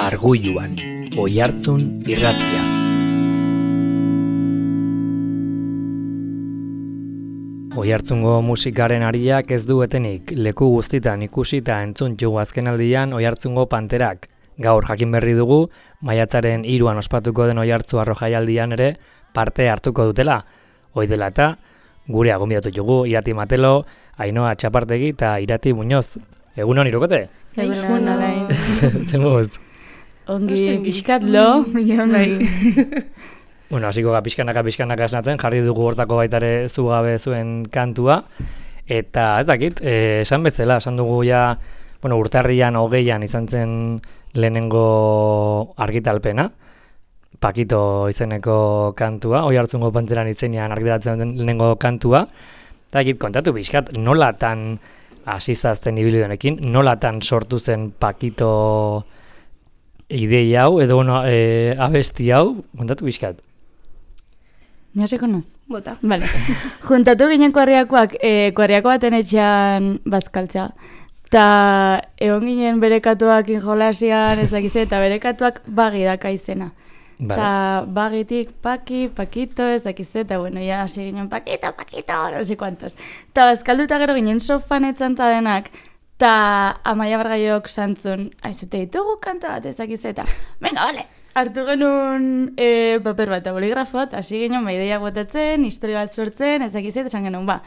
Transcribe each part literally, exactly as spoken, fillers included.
Argoiluan, Oihartzun irratia. Oihartzungo musikaren ariak ez du etenik, leku guztitan ikusita entzun jugu azkenaldian Oihartzungo panterak. Gaur jakin berri dugu, maiatzaren hiruan ospatuko den Oihartzu Arro jaialdian ere parte hartuko dutela. Hoi dela eta, gure gonbidatu jugu Irati Matelo, Ainhoa Txapartegi eta Irati Muñoz. Egunon, irukote? Egunon, alain. Zemuz? Ongi, pixkat lo. Bueno, hasiko ga pixkanaka pixkanaka esnatzen, jarri dugu hortako baitare zugabe zuen kantua. Eta ez dakit, eh, esan bezala, esan dugu ja, bueno, urtarrian hogeian izan zen lehenengo argitalpena. Pakito izeneko kantua, Oihartzungo panteran izenean argitaratzen den lehenengo kantua. Eta dakit, kontatu pixkat, nolatan asizazten ibilidonekin, nolatan sortu zen Pakito ideia hau, edo bueno, e, abesti hau, kontatu pixkat. Ja se konoz? Bota. Vale. Juntatu ginen kuarriakoak, e, kuarriako baten etxean bazkaltza. Ta egon ginen berekatuak injolasian, ezakize, eta berekatuak bagi daka izena. Vale. Ta bagitik paki, pakito, ezakize, eta bueno, ya hasi ginen pakito, pakito, no sé cuantos. Ta bazkaldu eta gero ginen sofan etzanta denak, ta Amaia Bargaiok santzun, aizute ditugu kanta bat ezakize, eta venga, vale. Hartu genuen e, paper bat, boligrafot, hasi ginen maideiak botatzen, historia bat sortzen, ezakize, eta esan genuen, ba,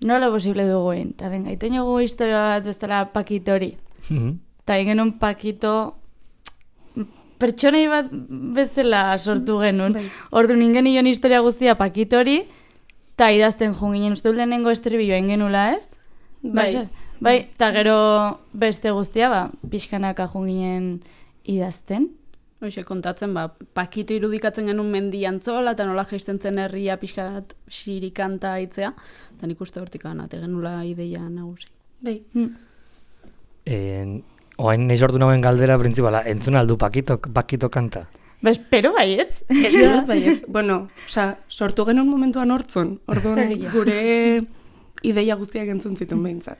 nola posible duguen, eta venga, ito niogu historia bat bestela pakitori. Eta egin genuen pakito pertsonei bat bezala sortu genuen. Ordu ningen nion historia guztia pakitori, eta idazten jo ginen, uste lehenengo estribilloa ingenula, ez? Bai. Bai, eta gero beste guztia, ba, pixkanaka jo ginen idazten. Hoxe, kontatzen, ba, Pakito irudikatzen genuen mendi antzola, eta nola jaisten zen herria pixkat xirikanta aitzea, eta nik uste hortik anate genula ideia nagusi. Bai. Hmm. En, oain nahi sortu nagoen galdera printzipala, entzun aldu Pakito, Pakito kanta? Ba, espero baietz. Espero baietz. Bueno, oza, sortu genuen momentuan hortzun. Orduan, gure ideia guztiak entzun zituen behintzat.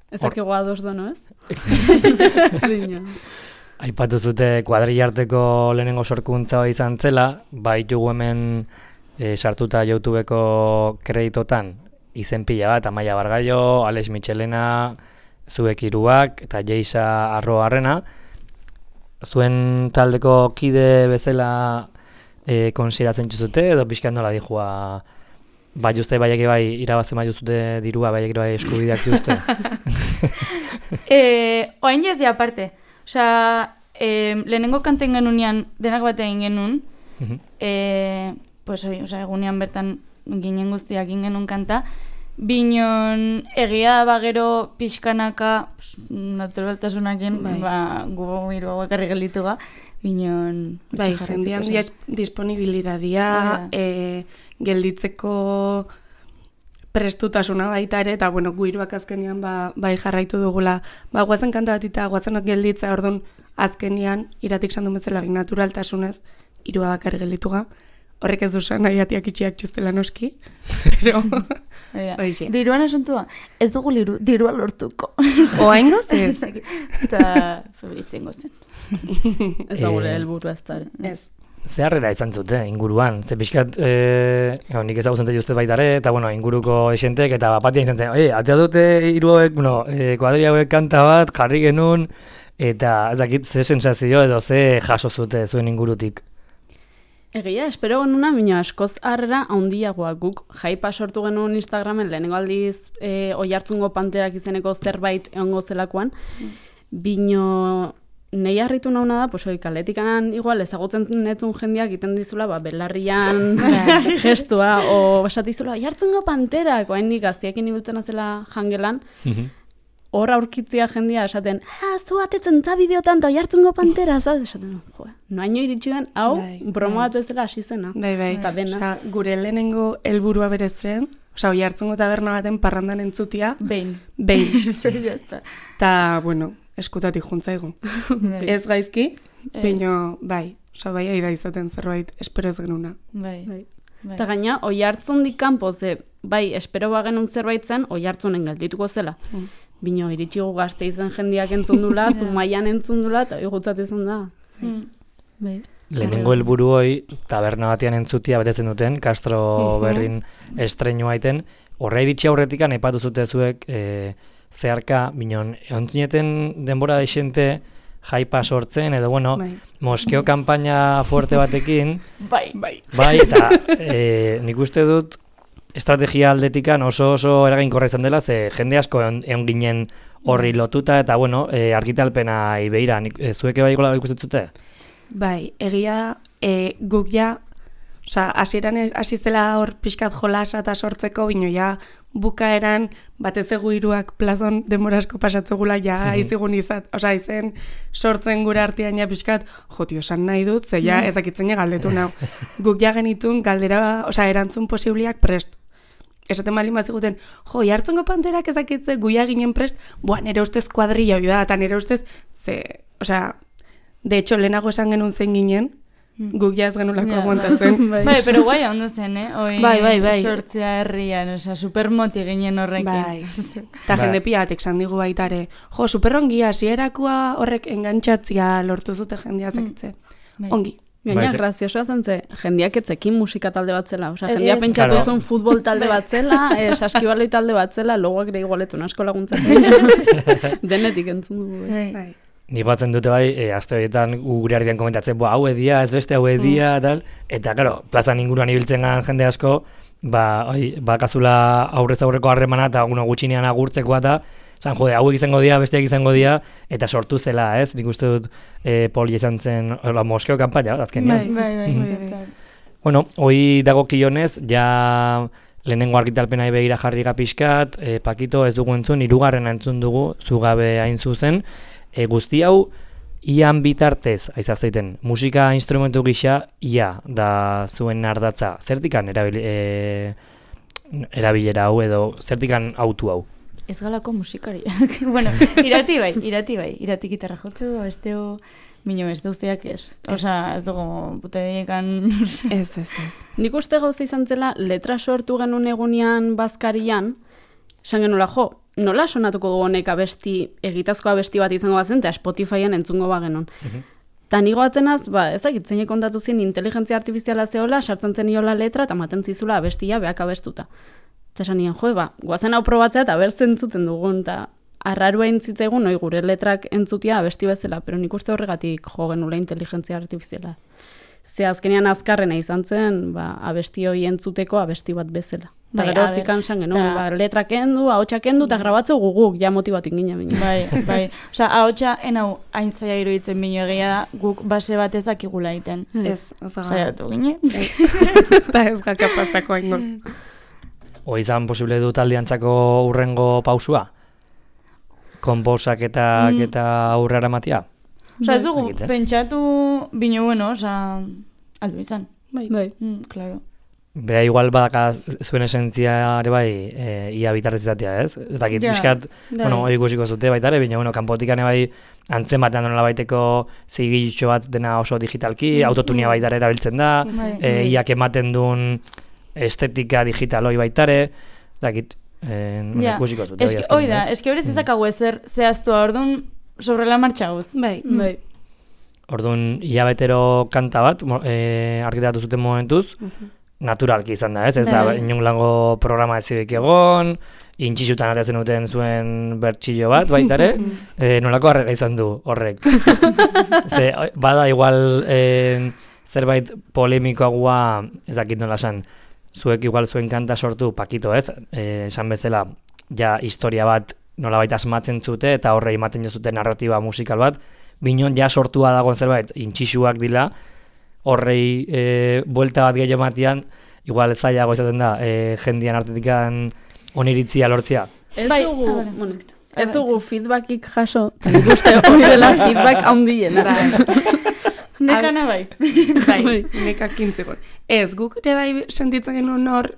Ezak egoa ados dono, ez? Aipatu zute kuadrillarteko lehenengo sorkuntza izan zela, baitugu hemen e, sartuta YouTubeko kreditotan izen pila bat, Amaia Bargaio, Alex Michelena, zuek hiruak eta Jeisa Arroarrena. Zuen taldeko kide bezala e, konsideratzen txuzute, edo pixkan nola dijua, bai uste baiek bai irabazen bai uzute dirua, baiek bai eskubideak juzte? eh, oain jazia aparte. Osea, eh, lehenengo kanten genunean denak bat egin genuen, eh, pues, oi, osea, egunean bertan ginen guztiak egin genuen kanta, binon egia bagero pixkanaka, pues, naturaltasunakin, bai. ba, gu hiru hauek arri gelditu ga, binon... Bai, jendean disponibilidadia, e, gelditzeko prestutasuna baita ere, eta bueno, guiruak azkenean ba, bai jarraitu dugula, ba, guazen kanta bat eta guazenok gelditza, orduan azkenean, Iratik sandu bezala, naturaltasunez, hirua bakar geldituga, horrek ez duzen, Iratiak itxiak txustela noski, pero... Oixe. Diruan asuntua, ez dugu liru, dirua lortuko. Oain gozez? Eta, itzen gozen. Ez da gure helburu ez da. Ez. Zeharrera izan zute inguruan, ze pixkat, e, nik ezagutzen zute baitare, eta bueno, inguruko esentek, eta bapatia izan zen, oie, atea dute hiruek, bueno, e, kuadria hauek kanta bat, jarri genuen, eta ez dakit ze sensazio edo ze jaso zute zuen ingurutik. Egia, espero genuna, bina askoz harrera handiagoa guk jaipa sortu genuen Instagramen, lehenengo aldiz e, Oihartzungo panterak izeneko zerbait egongo zelakoan, bino... Nei harritu nauna da, pues, oi, kaletikan igual ezagutzen netzun jendeak egiten dizula, ba, belarrian gestua, o esatizula, Oihartzungo panterak, oain nik gaztiekin ibiltzen azela jangelan, hor aurkitzia jendia esaten, ah, zu atetzen za bideotan eta Oihartzungo pantera, zaz? Esaten, jo, noaino iritsi den, hau, broma bat bezala hasi zena. Bai, bai, eta dena. Osa, gure lehenengo helburua berezren, osa, Oihartzungo taberna baten parrandan entzutia. Behin. Behin. Ta, bueno, eskutatik juntzaigu. Ez gaizki, baina bai, osa bai aida izaten zerbait, espero ez genuna. Bai. Bai. Eta gaina, Oihartzundik kanpo, ze, bai, espero bagenun zerbait zen, Oihartzunen geldituko zela. bino, iritsi gu gazte izan jendiak entzundula, Zumaian entzundula, eta gutzat izan da. Mm. Bai. Lehenengo helburu hoi, taberna batean entzutia betetzen duten, Castro Berrin estreinua aiten, horre iritsi aurretikan aipatu zute zuek, e, zeharka, binon, eontzineten denbora deixente jaipa sortzen, edo, bueno, Bai. moskeo kanpaina fuerte batekin, Bai. Bai. bai, eta e, nik uste dut, estrategia aldetikan oso oso eraginkorra izan dela, ze jende asko egon, egon ginen horri lotuta, eta, bueno, e, argitalpena ibeira, nik, e, zueke bai gola ikustetzute? Bai, egia e, guk ja, osea, hasieran hasi zela hor pixkat jolasa eta sortzeko, bino ja bukaeran batez egu hiruak plazon denbora asko pasatzegula ja izigun izat, osea, izen sortzen gure artean ja pixkat, jo, tio, esan nahi dut, ze ja ezakitzen ja galdetu nau. Guk ja genitun galdera, osea, erantzun posibliak prest. Esaten baldin baziguten, jo, jartzongo panterak ezakitze guia ginen prest, boa, nire ustez kuadrilla hori da, eta nire ustez, ze, osea, de hecho, lehenago esan genuen zein ginen, guk ja ez genulako aguantatzen. Bai, pero guai ondo zen, eh? Oi, Bai, bai, bai. Sortzea herrian, osea, supermoti ginen horrekin. Bai. Eta jende piatek zan digu baitare, jo, superongia, hasierakoa horrek engantxatzia lortu zute jendea zakitze. Ongi. Gaina, Bai, ze- graziosoa zen ze, jendiak etzekin musika talde bat zela. Osea, Ez, jendeak ez. pentsatu Claro. zuen futbol talde bat zela, eh, saskibaloi talde bat zela, logoak ere igualetun asko laguntzen. Denetik entzun dugu. eh. Bai. Bai. Nik batzen dute bai, e, aste horietan gu gure artean komentatzen, boa, hau edia, ez beste hau edia, tal, eta, claro, plazan inguruan ibiltzen gan jende asko, ba, oi, bakazula aurrez aurreko harremana eta uno gutxinean agurtzekoa eta, zan, jode, hauek izango dira, besteak izango dira, eta sortu zela, ez? Nik uste dut e, poli izan zen, hola, moskeo kanpaina, azkenean. Bai, bai, Bai, bai. bai. Bueno, hoi dagokionez, ja lehenengo argitalpena begira jarri pixkat, e, Pakito ez dugu entzun, hirugarrena entzun dugu, zugabe hain zuzen, e, guzti hau, ian bitartez, aizazteiten, musika instrumentu gisa, ia, da zuen ardatza, zertikan erabil, e, erabilera hau edo, zertikan autu hau? Ez galako musikariak. bueno, irati bai, irati bai, irati gitarra jotzeu, besteo, mino ez duzteak ez. Osa, ez dugu, pute diekan, Ez, ez, ez. Nik uste gauza izan zela, letra sortu genuen egunean bazkarian, esan genuela, jo, nola sonatuko du honek abesti, egitazko abesti bat izango bazen, eta Spotifyen entzungo bagenon. Ta nigo atzenaz, ba, ezakit, zeinek kontatu zin inteligentzia artifiziala zehola, sartzen zen iola letra, eta maten zizula abestia beak abestuta. Eta esan nien, jo, ba, guazen hau probatzea eta bertzen entzuten dugun, eta arrarua entzitzaigun, oi, gure letrak entzutia abesti bezala, pero nik uste horregatik jo genula inteligentzia artifiziala. Ze azkenean azkarrena izan zen, ba, abesti hori entzuteko abesti bat bezala. Eta Bai, gero a hortik ber, ansan genuen, ta- ba, letrak kendu, ahotsak kendu, eta grabatzeu guguk, ja motibatik ginen bine. bai, bai. Osa, ahotsa, enau, hain zaila iruditzen bino egia da, guk base bat ezakigula egiten. Ez, ez gara. Saiatu ginen. Eta ez ga kapazako aingoz. Hoi izan posible du taldeantzako urrengo pausua? Konposaketak Mm. eta aurrera matia? Osa, ez dugu, Egiten. pentsatu bino bueno, osa, aldo izan. Bai. Bai. Mm, claro. Bera igual badaka zuen esentzia ere bai, e, ia bitartez izatea, ez? Ez dakit, Ja. pixkat, Bai. bueno, hori ikusiko zute baita ere, baina, bueno, kanpotikan ere bai, antzen batean nola baiteko zigiltxo bat dena oso digitalki, autotunia baita ere erabiltzen da, Bai. e, iak ematen duen estetika digitaloi baita ere, ez dakit, e, bueno, Ja, ikusiko zute. eski, hoi da, eski horrez ez dakagu ezer zehaztua, orduan, sobre la marcha gauz. Bai. Bai. Orduan, hilabetero kanta bat, mo- e, argitaratu zuten momentuz, naturalki izan da, ez? Ez da, Bai. inunlango programa ez zibik egon, intxixutan atezen duten zuen bertxillo bat, baita ere, e, nolako harrera izan du horrek. Ze, oi, bada igual e, zerbait polemikoagoa, ez dakit nola esan, zuek igual zuen kanta sortu, Pakito, ez? E, esan bezala, ja historia bat nolabait asmatzen zute, eta horre ematen jozute narratiba musikal bat, binon ja sortua dagoen zerbait, intxixuak dila, horrei e, buelta bat gehiago matian, igual zailago izaten da, e, jendian artetikan oniritzia lortzea. Ez Bai, dugu, ah, vale. bueno, ez dugu feedbackik jaso, eta nik uste hori dela feedback handiena. Nekana bai. Bai, nekak kintzekon. Ez, guk ere bai sentitzen genuen hor,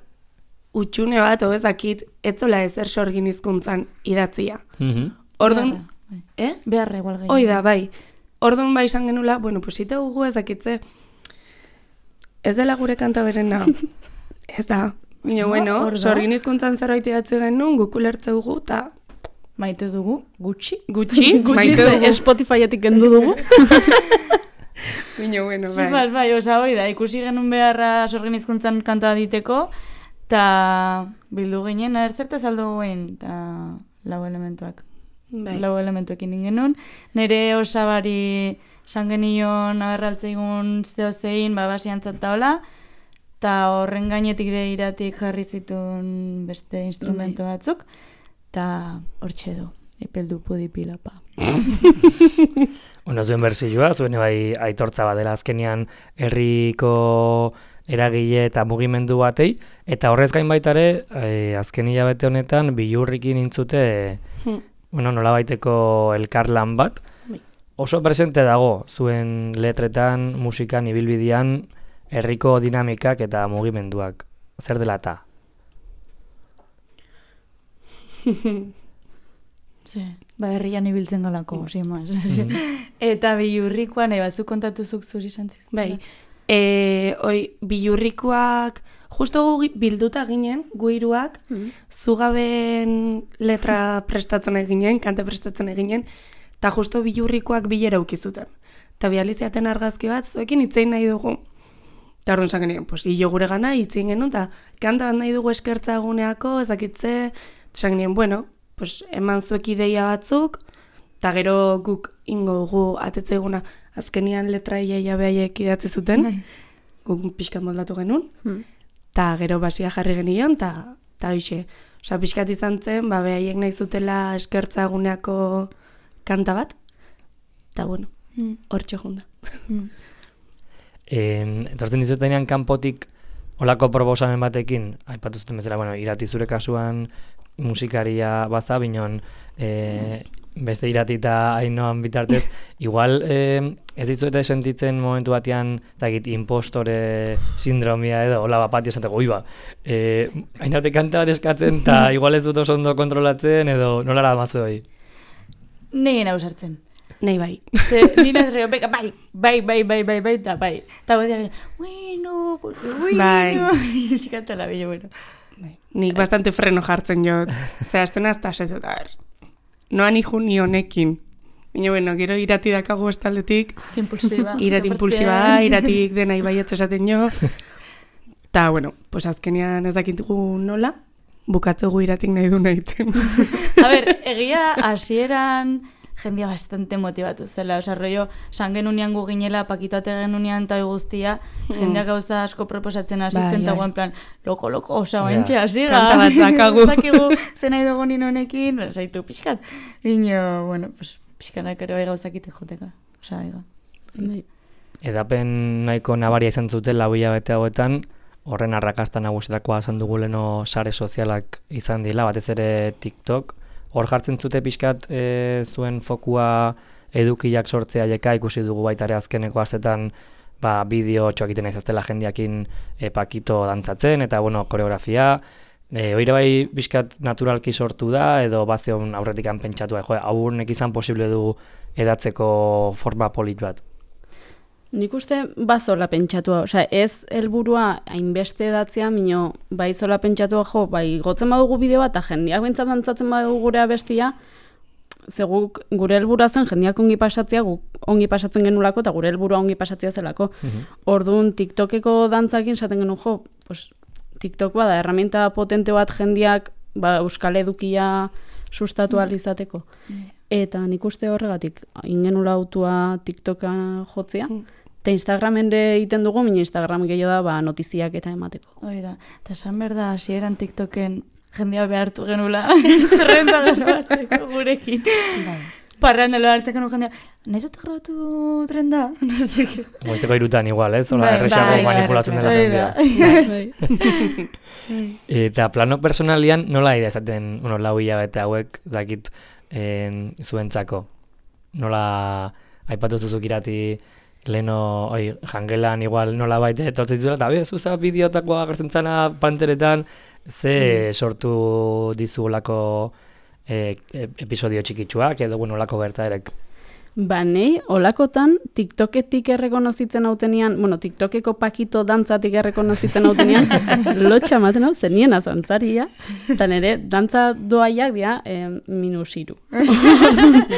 utxune bat, o ezakit, etzola ezer sorgin hizkuntzan idatzia. Orduan, eh? Beharra igual gehiago. Hoi da, bai. Orduan bai izan genula, bueno, pues ite gugu ezakitze, ez dela gure kanta berena. Ez da. Bino, bueno, hor da. sorgin hizkuntzan zerbait idatzi genuen, guk ulertze dugu, eta Maite dugu, gutxi. Gutxi, Gutxi ze Spotifyetik kendu dugu. Bino, bueno, Bai, bai. bai, osa hoi da, ikusi genuen beharra sorgen hizkuntzan kanta diteko, eta bildu ginen, er zertaz aldo guen, eta lau elementuak. Bai. Lau elementuekin ingenun. Nere osabari san genion aberraltzeigun zehozein, ba, basiantzat daola, eta horren gainetik ere iratik jarri zituen beste instrumento batzuk, eta hortxe du, epeldu pudipilapa. Bueno, zuen berzioa, zuen bai aitortza badela azkenean herriko eragile eta mugimendu batei, eta horrez gain baita ere, eh, azken hilabete honetan Billurrikin intzute, Hmm. bueno, nolabaiteko elkarlan bat, Bai. oso presente dago zuen letretan, musikan, ibilbidean, herriko dinamikak eta mugimenduak. Zer dela ta? Ze, ba, herrian ibiltzen galako, sin más. Eta Billurrikoan, nahi batzuk kontatuzuk zuri santzik. Bai, e, oi, Billurrikoak, justo gu bilduta ginen, gu hiruak, zugaben letra prestatzen eginen, kante prestatzen eginen, eta justo Billurrikoak bilera ukizuten. Eta bializiaten argazki bat, zuekin hitzein nahi dugu. Eta orduan esan genien, pues, hilo gure gana hitzein genuen, eta kanta bat nahi dugu eskertza eguneako, ezakitze, esan genien, bueno, pues, eman zuek ideia batzuk, eta gero guk ingo dugu atetzeiguna azkenian letra iaia behaiek idatzi zuten, guk pixkat moldatu genuen, eta gero basia jarri genion, eta eta hoxe, osea, pixkat izan zen, ba, behaiek nahi zutela eskertza eguneako kanta bat, eta bueno, hortxe junda. En, etortzen dizutenean kanpotik olako proposamen batekin, aipatu zuten bezala, bueno, irati zure kasuan musikaria baza, binon e, beste irati eta Ainoan bitartez, igual e, ez dizuete sentitzen momentu batean, zakit, impostore sindromia edo, hola bat esateko, oi ba, e, Ainhoate kanta bat eskatzen, eta igual ez dut oso ondo kontrolatzen, edo nolara mazu hori? Negin hau sartzen. Nei bai. Ze, nina zerreo, beka, bai, bai, bai, bai, bai, bai, eta bai. Eta bat diagin, bueno, porque bueno. Bai. Zikatu la billo, bueno. Nik bastante freno jartzen jot. Zehazten azta asetut, a ber. Noan iju ni honekin. Baina, bueno, gero irati dakagu estaldetik. Impulsiba. Irati impulsiba da, iratik dena ibaiatz esaten jo. Ta, bueno, pues azkenean ez dakitugu nola, bukatzegu iratik nahi du nahiten. A ber, egia hasieran jendia bastante motivatu zela, oza, rollo, san genunian gu ginela, pakitoate genunian eta guztia, jendeak gauza asko proposatzen hasi Bai, zen, eta bai. guen plan, loko, loko, oza, Ja. baintxe, hasi Kanta bat dakagu. Zakigu, zen nahi dugu nino honekin, zaitu pixkat. Ino, bueno, pues, pixkanak ere bai gauzakite joteka, oza, ega. Edapen nahiko nabaria izan zuten lau hilabete hauetan, horren arrakasta nagusitakoa esan dugu leno sare sozialak izan dila, batez ere TikTok. Hor jartzen zute pixkat e, zuen fokua edukiak sortzea jeka, ikusi dugu baita ere azkeneko astetan ba, bideo txoak egiten ez aztela jendeakin e, pakito dantzatzen, eta bueno, koreografia. E, Oire bai pixkat naturalki sortu da, edo bazion aurretikan pentsatu, jo, aurnek izan posible du edatzeko forma polit bat. Nik uste bazola pentsatua, osea, ez helburua hainbeste edatzea, mino bai zola pentsatua jo, bai gotzen badugu bideo bat, eta jendeak bintzat dantzatzen badugu gure abestia, ze guk gure helburua zen jendeak ongi pasatzea, guk ongi pasatzen genulako, eta gure helburua ongi pasatzea zelako. Orduan TikTokeko dantzakin esaten genuen jo, pues, TikTok bada, herramienta potente bat jendeak ba, euskal edukia sustatu ahal izateko. Eta nik uste horregatik, ingenula autua TikToka jotzea, eta Instagramen ere egiten dugu, mina Instagram gehiago da ba, notiziak eta emateko. Hoi da, eta esan behar da, hasieran TikToken jendea behartu genula zerrenda grabatzeko gurekin. Parrandelo hartzeko nu jendea, nahi zute grabatu trenda? No sé qué. Goizeko irutan igual, ez? Hola, Bai, erresago bai, manipulatzen dela Hoi jendea. da. Eta plano personalian nola idea esaten, bueno, lau hilabete hauek, zakit, en, zuentzako? Nola, aipatu zuzuk irati, leno, oi, jangelan igual nola baite, etortzen zuela, eta be, zuza bideotakoa agertzen zana panteretan, ze sortu dizulako e, e, episodio txikitsuak, edo bueno, olako gertaerek. Ba, nei, olakotan, TikToketik errekonozitzen hautenian, bueno, TikTokeko pakito dantzatik errekonozitzen hautenian, lotxa ematen hau, zenien azantzaria, eta nire, dantza doaiak dira, eh, minusiru.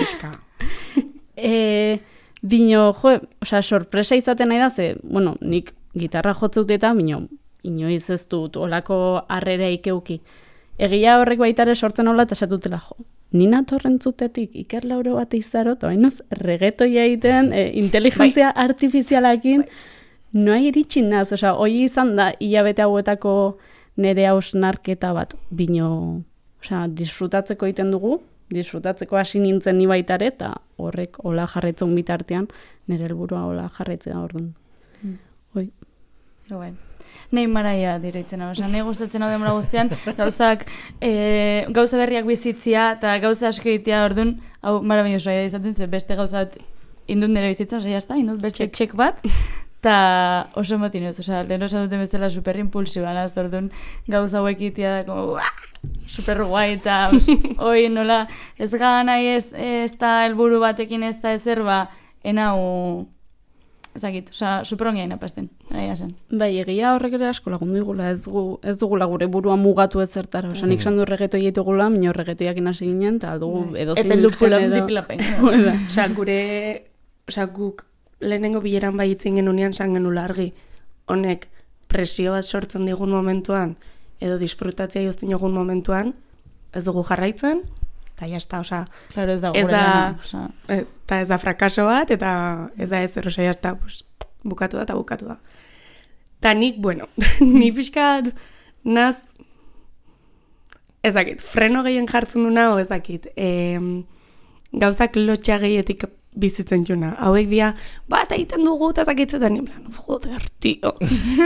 Eska. e, bino, jo, osea, sorpresa izaten nahi da, ze, bueno, nik gitarra jotzeut eta, bino, inoiz ez dut, olako harrera ikeuki. Egia horrek baitare sortzen hola, eta esatutela, jo, nina torrentzutetik Iker Lauro bat izaro, eta bainoz, regetoia egiten, e, inteligentzia bai. artifizialakin, bai. Noa iritsi naz, osea, hoi izan da, hilabete hauetako nere hausnarketa bat, bino, osea, disfrutatzeko egiten dugu, disfrutatzeko hasi nintzen ni baitare, eta horrek hola jarraitzen bitartean, nire helburua hola jarraitzea orduan. Mm. Hoi. Bai. Nei maraia direitzen hau, esan, nei gustatzen hau demora guztian, gauzak, e, gauza berriak bizitzia, eta gauza asko egitea orduan, hau marabillosoa izaten, ze beste gauza bat indut nire bizitza, osea, jazta, indut beste txek bat, eta oso motinuz, osea, lehen osa duten bezala super impulsiba, naz, orduan gauza hauek egitea, como, super guai, eta, oi, nola, ez gana, ez, ez da helburu batekin ez da ezer, ba, enau, ezagit, osea, superongia inapasten, aia zen. Bai, egia horrek ere asko lagundu digula, ez, gu, ez dugula gure burua mugatu ez zertara. Osea, nik sandu reggaetoi egitugula, minio reggaetoiak inasi ginen, eta dugu edozein genero. Osea, gure, osea, guk lehenengo bileran bai itzin genunean san genula argi. Honek presio bat sortzen digun momentuan, edo disfrutatzea jozten jogun momentuan, ez dugu jarraitzen, eta jazta, oza, claro, ez da, ez da, osa. ez, ta ez da frakaso bat, eta ez da ez zer, oza, jazta, pues, bukatu da eta bukatu da. Ta nik, bueno, ni pixkat, naz, ez dakit, freno gehien jartzen duna, o ez dakit, e, gauzak lotxa gehietik bizitzen juna. Hauek dia, bat egiten dugu, eta zakitzetan, ni plan, joder, tio.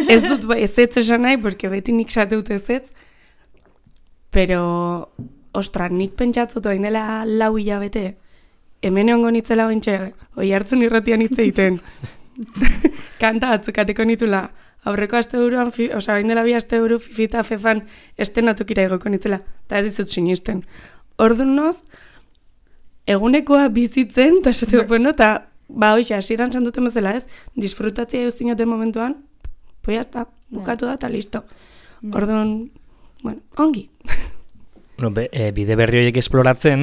Ez dut, ba, ez ez esan nahi, porque beti nik sateut ez ez, pero... Ostra, nik pentsatzut oin dela lau hilabete, hemen egongo nitzela ointxe, oi hartzun irratian hitz egiten. Kanta atzukateko nitula, aurreko aste buruan, oza, oin dela bi aste buru, fifita fefan, estenatokira egoko nitzela, eta ez dizut sinisten. Orduan noz, egunekoa bizitzen, eta esateko, bueno, eta, ba, hoxe, hasieran sanduten bezala ez, disfrutatzea eustinoten momentuan, poia, eta bukatu da, eta listo. Orduan, bueno, ongi. No, be, e, bide berri horiek esploratzen,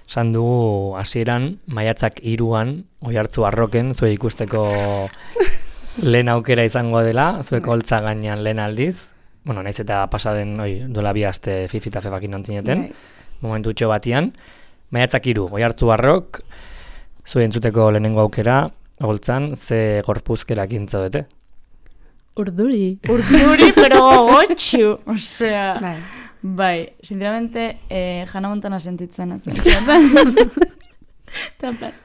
esan dugu hasieran maiatzak hiruan, oihartzu arroken, zue ikusteko lehen aukera izango dela, zueko holtza gainean lehen aldiz, bueno, naiz eta pasaden, oi, duela bi aste fifita fefakin ontzineten, momentu txo batian, maiatzak hiru, oihartzu arrok, zue entzuteko lehenengo aukera, holtzan, ze gorpuzkerak intzo bete? Urduri. Urduri, pero gogotxu, osea... Bai. Bai, sinceramente, eh, Hannah Montana sentitzen ez.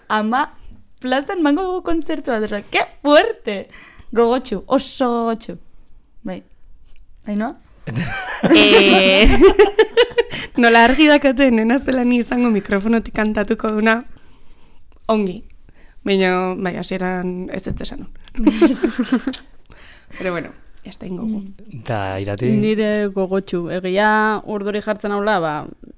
Ama, plazan mango dugu kontzertu bat, oza, que fuerte! Gogotxu, oso gogotxu. Bai, haino? eh, nola argi dakate, nena zela ni izango mikrofonotik kantatuko duna, ongi. Baina, bai, hasieran ez ez esan. Pero bueno, ez da ingogu. Eta irati? Nire gogotxu. Egia urduri jartzen haula, ba,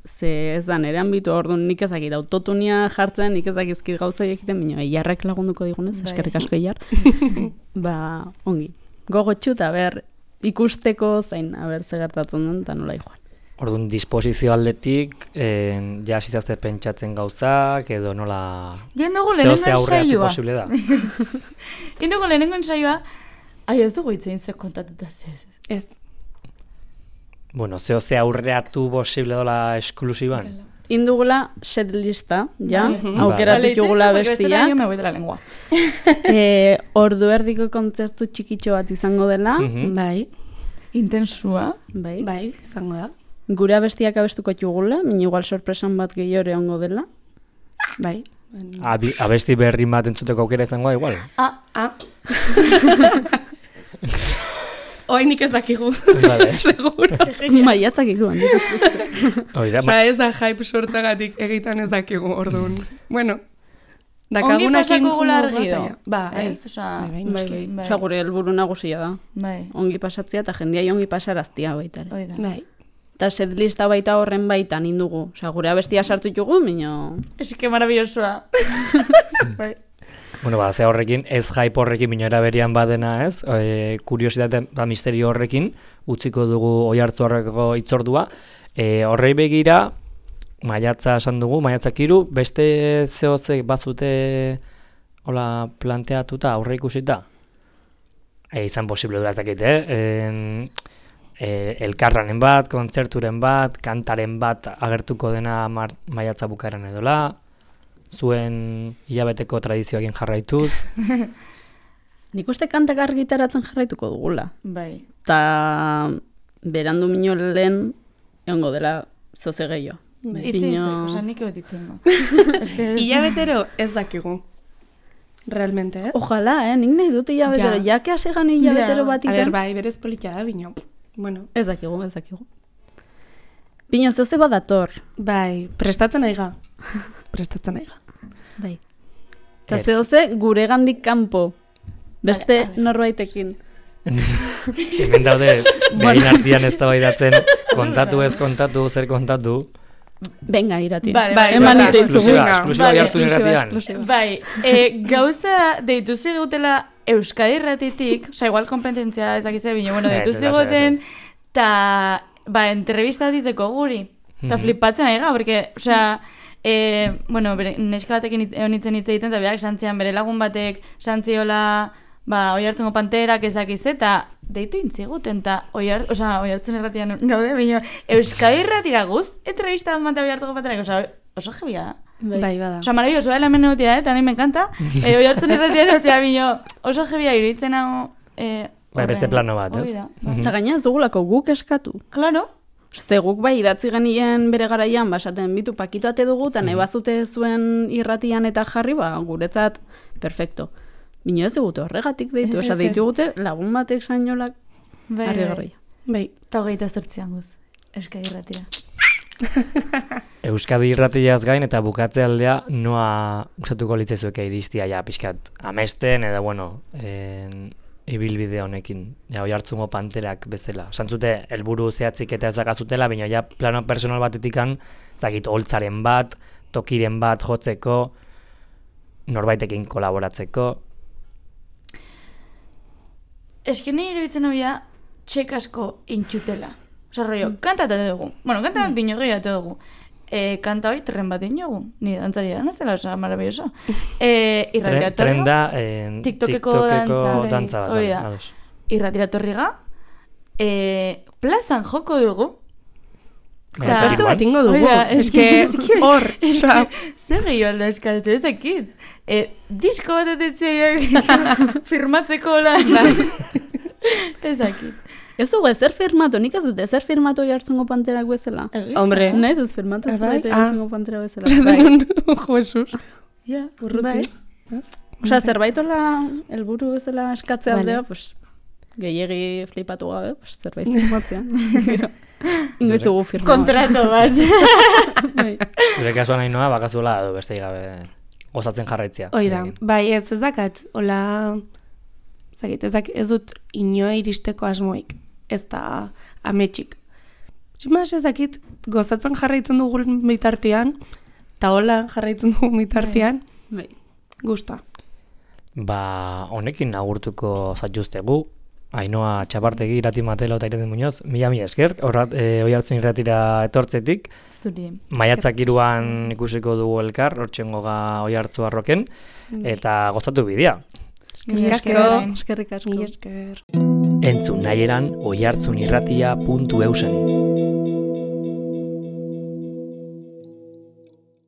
ze ez da nire ambitu orduan nik ezakit autotunia jartzen, nik ezakizkit gauza egiten, bino, eiarrek lagunduko digunez, eskerrik asko eiar. Ba, ongi. Gogotxu eta ber, ikusteko zain, aber ze gertatzen den, eta nola joan. Orduan, disposizio aldetik, eh, ja zizazte pentsatzen gauzak, edo nola... Jendugu lehenengo ensaioa. Posible da. Jendugu lehenengo ensaioa, ai, ez dugu itzein ze kontatuta zez. Ez. Bueno, zeo ze aurreatu posible dola esklusiban? Indugula setlista, ja, aukeratu jugula bestia. Jo me voy de la lengua. eh, ordu erdiko kontzertu txikitxo bat izango dela. Bai. Intensua. Bai. Bai, izango da. Gura bestiak abestuko jugula, min igual sorpresan bat gehiore ongo dela. Bai. Abi, abesti berri bat entzuteko aukera izango da, igual? Ah, ah. Oin nik ez dakigu. Vale. Seguro. Maiatzak ikuan. Osa ez da hype sortzagatik egitan ez dakigu, orduan. Bueno, dakagunakin jungo argi da. Ba, ez, osa... Bai, bai, bai. Osa gure helburu nagusia da. Bai. Ongi pasatzea eta jendiai ongi pasaraztia baitare. Oida. Bai. Eta setlista baita horren baitan indugu. Osea, gure abestia sartu ditugu, mino... Es que maravillosoa. Bai. Bueno, ba, ze horrekin, ez hype horrekin minora berian badena, ez? E, kuriositate eta misterio horrekin, utziko dugu Oiartzu horreko itzordua. E, horrei begira, maiatza esan dugu, maiatzak hiru, beste zehozek bazute hola planteatuta, aurre ikusita? E, izan posible dura ezakit, eh? En, e, elkarranen bat, kontzerturen bat, kantaren bat agertuko dena mar, maiatza bukaeran edola, zuen hilabeteko tradizioekin jarraituz. Nik uste kantak argitaratzen jarraituko dugula. Bai. Ta berandu mino lehen egongo dela zoze gehiago. Itzen zuek, oza, nik egot itzen go. Hilabetero ez dakigu. Realmente, eh? Ojalá, eh? Nik nahi dut hilabetero. Ja. Jake hasi gani hilabetero Ja. bat A iten. ber, bai, berez politia da, bino. Bueno, Ez dakigu, ez dakigu. Bino, zoze badator. bai, prestatzen aiga. Prestatzen aiga. Bai. Eta Et- zehoze gure gandik kanpo. Beste Vale, vale. norbaitekin. Hemen daude, behin artian ez tabaidatzen, kontatu ez kontatu, zer kontatu. Venga, irati. Vale, Bai, eman bai, ite Esklusiba, Venga. esklusiba Vale, Oiartzun irratian. Bai, e, gauza deitu zigutela Euskadi irratitik, oza, igual kompetentzia ezakize bine, bueno, Ez, deitu ez da, ez ziguten, eta, ba, entrevista diteko guri, eta Mhm. flipatzen ari ga, porque, oza, e, bueno, bere, neska batekin hit- honitzen hitz egiten, eta berak santzian bere lagun batek santziola, ba, Oiartzungo Panterak ezakize, eta deitu intziguten, eta oiar, oza, Oiartzun irratian gaude, bine, Euskadi irratira guz, entrevista bat mate Oiartzungo Panterak, oza, oso jebia da. Bai, bada. Osa, maravilloso, dela hemen egotia, eh? Eta nahi me encanta. Eh, oi hartzen irratia egotia, bino, oso jebia iruditzen hau... Eh, Bai, beste horren. plano bat, ez? Hori da, bai. Eta gaina ez dugulako guk eskatu. Claro. Ze guk bai idatzi genien bere garaian, basaten bitu pakito ate dugu, eta nahi bazute zuen irratian eta jarri, ba, guretzat, perfecto. Bino ez digute horregatik deitu, Ez, osa ez, deitu ez. gute lagun batek sainolak Bai, harri bai. garria. Bai. Eta hogeita zortzian guz. Euskadi irratira. Euskadi irratiaz gain eta bukatze aldea noa usatuko litzaizueke iristia ja pixkat amesten edo bueno, en, ibilbide honekin. Ja, Oiartzungo Panterak bezala. Santzute helburu zehatzik eta ez dakazutela, baina ja plano personal batetikan, zakit holtzaren bat, tokiren bat jotzeko, norbaitekin kolaboratzeko. Eski nahi iruditzen hau ja, txek asko intxutela. Osa, rollo, kantatu dugu. Bueno, kanta bat bino gehiatu dugu. E, kanta hoi tren bat inogu. Ni dantzari da nazela, osa, maravilloso. E, Tren, irratiratorri tren da en, TikTokeko TikTokeko dantza. dantza bat. Hoi bai, da. ados. irratiratorriga. E, plazan joko dugu. Kontzertu Igual. bat ingo dugu. Oida, Eske eske- hor, osea, Zer gehiago alda eskatu, ez dakit. E, disko bat atetzeak firmatzeko lan. Ez dakit. Ez dugu ezer firmatu, nik ez dut ezer firmatu Oiartzungo Panterak bezala. hombre. Nahi dut firmatu Ah, bai? zerbait Oiartzungo Pantera bezala. Esan jo, Jesus. Ja, Urruti. Bai. Osea, zerbaitola helburu bezala eskatzea Vale. aldea, pues, gehiegi flipatu gabe, pues, zerbait firmatzea. Ingoiz dugu firma. kontrato bat. Bai. Zure kasuan nahi noa, bakazuela edo beste gabe gozatzen jarraitzea. Hoi da, Egin. bai ez ez dakat, hola, zakit, ez, dak, ez dut inoa iristeko asmoik, ez da ametxik. Tximas ez dakit, gozatzen jarraitzen dugu bitartean, eta hola jarraitzen dugu bitartean, Bai. gusta. Ba, honekin agurtuko zaituztegu, Ainoa Txapartegi, Irati Matelo eta Irati Muñoz, mila mila esker, horrat, e, Oiartzun irratira etortzetik, Zuri. maiatzak iruan ikusiko dugu elkar, hortxengo ga Oiartzu arroken, eta gozatu bidea. Mila asko. esker. Eskerrik asko. Mila esker. Entzun nahi eran oiartzunirratia puntu eusen.